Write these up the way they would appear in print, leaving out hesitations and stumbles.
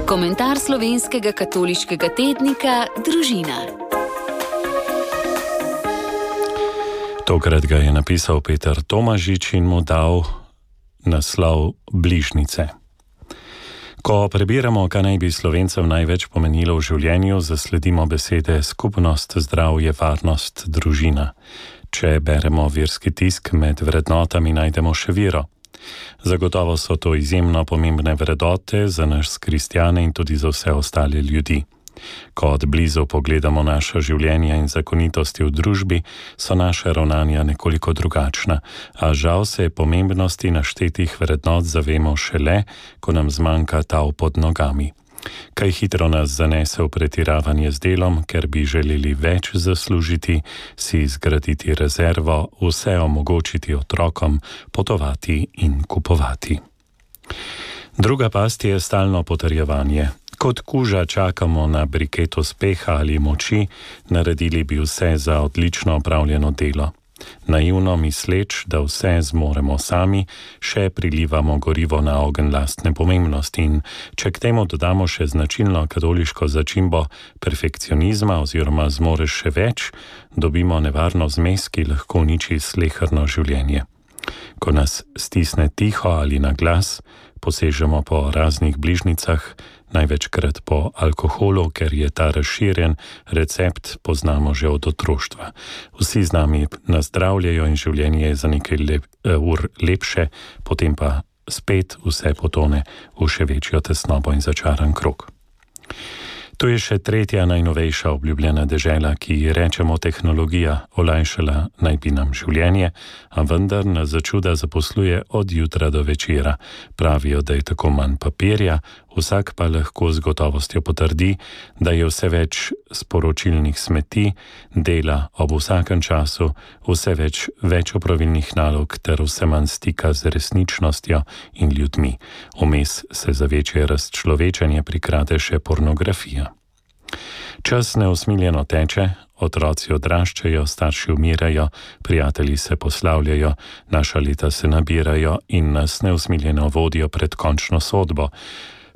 Komentar slovenskega katoliškega tednika Družina. Tokrat ga je napisal Peter Tomažič in mu dal naslov Bližnjice. Ko prebiramo, kaj naj bi Slovencem največ pomenilo v življenju, zasledimo besede skupnost, zdravje, varnost, družina. Če beremo verski tisk, med vrednotami najdemo še vero. Zagotovo so to izjemno pomembne vrednote za nas kristjane in tudi za vse ostale ljudi. Ko od blizu pogledamo naša življenja in zakonitosti v družbi, so naše ravnanja nekoliko drugačna, a žal se pomembnosti naštetih vrednot zavemo šele, ko nam zmanjka tal pod nogami. Kaj hitro nas zanese v pretiravanje z delom, ker bi želeli več zaslužiti, si zgraditi rezervo, vse omogočiti otrokom, potovati in kupovati. Druga past je stalno potrjevanje. Kot kuža čakamo na briket uspeha ali moči, naredili bi vse za odlično opravljeno delo. Naivno misleč, da vse zmoremo sami, še prilivamo gorivo na ogenj lastne pomembnosti in če k temu dodamo še značilno katoliško začimbo perfekcionizma oziroma zmoreš še več, dobimo nevarno zmes, ki lahko uniči sleherno življenje. Ko nas stisne tiho ali na glas, posežemo po raznih bližnjicah, največkrat po alkoholu, ker je ta razširjen, recept poznamo že od otroštva. Vsi z nami nazdravljajo in življenje je za nekaj ur lepše, potem pa spet vse potone v še večjo tesnobo in začaran krog. To je še tretja najnovejša obljubljena dežela, ki ji rečemo tehnologija, olajšala naj bi nam življenje, a vendar nas začuda zaposluje od jutra do večera. Pravijo, da je tako manj papirja, vsak pa lahko z gotovostjo potrdi, da je vse več sporočilnih smeti, dela ob vsakem času, vse več opravilnih nalog ter vse manj stika z resničnostjo in ljudmi. Vmes se za večje razčlovečenje prikrade še pornografija. Čas neusmiljeno teče, otroci odraščajo, starši umirajo, prijatelji se poslavljajo, naša leta se nabirajo in nas neusmiljeno vodijo pred končno sodbo.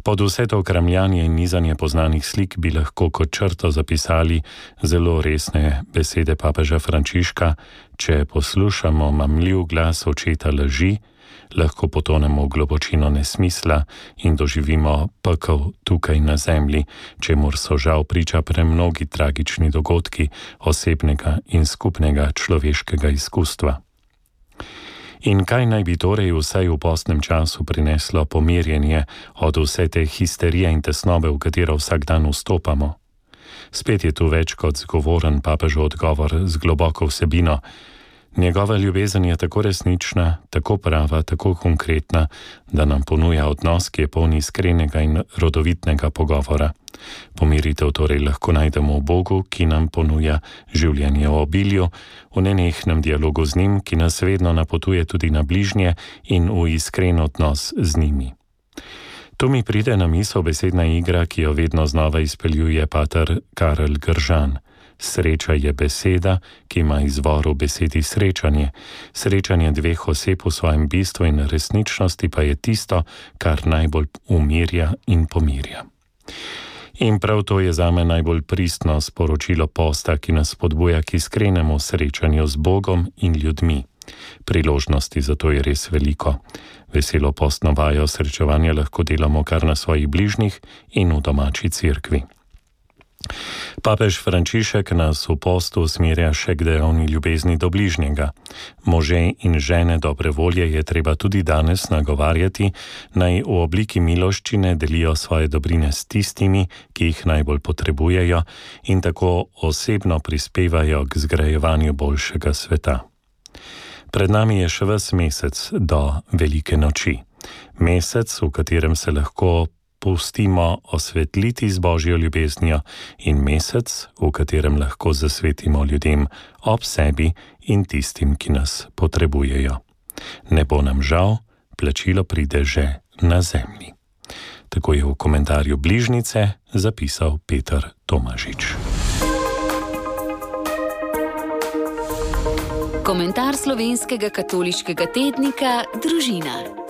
Pod vse to kramljanje in nizanje poznanih slik bi lahko kot črto zapisali zelo resne besede papeža Frančiška: če poslušamo mamljiv glas očeta laži, lahko potonemo v globočino nesmisla in doživimo pekel tukaj na zemlji, čemur so žal priča premnogi tragični dogodki osebnega in skupnega človeškega izkustva. In kaj naj bi torej vsaj v postnem času prineslo pomirjenje od vse te histerije in tesnobe, v katero vsak dan vstopamo? Spet je tu več kot zgovoren papežov odgovor z globoko vsebino. Njegova ljubezen je tako resnična, tako prava, tako konkretna, da nam ponuja odnos, ki je poln iskrenega in rodovitnega pogovora. Pomiritev torej lahko najdemo v Bogu, ki nam ponuja življenje v obilju, v nenehnem dialogu z njim, ki nas vedno napotuje tudi na bližnje in v iskren odnos z njimi. Tu mi pride na misel besedna igra, ki jo vedno znova izpeljuje pater Karel Gržan. Sreča je beseda, ki ima izvor v besedi srečanje. Srečanje dveh oseb v svojem bistvu in resničnosti pa je tisto, kar najbolj umirja in pomirja. In prav to je zame najbolj pristno sporočilo posta, ki nas spodbuja k iskrenemu srečanju z Bogom in ljudmi. Priložnosti za to je res veliko. Veselo postno vajo srečevanja lahko delamo kar na svojih bližnjih in v domači cerkvi. Papež Frančišek nas v postu usmerja še k dejavni ljubezni do bližnjega. Može in žene dobre volje je treba tudi danes nagovarjati, naj v obliki miloščine delijo svoje dobrine s tistimi, ki jih najbolj potrebujejo in tako osebno prispevajo k zgrajevanju boljšega sveta. Pred nami je še ves mesec do velike noči. Mesec, v katerem se lahko pustimo osvetliti z Božjo ljubeznijo in mesec, v katerem lahko zasvetimo ljudem ob sebi in tistim, ki nas potrebujejo. Ne bo nam žal, plačilo pride že na zemlji. Tako je v komentarju Bližnjice zapisal Peter Tomažič. Komentar slovenskega katoliškega tednika Družina.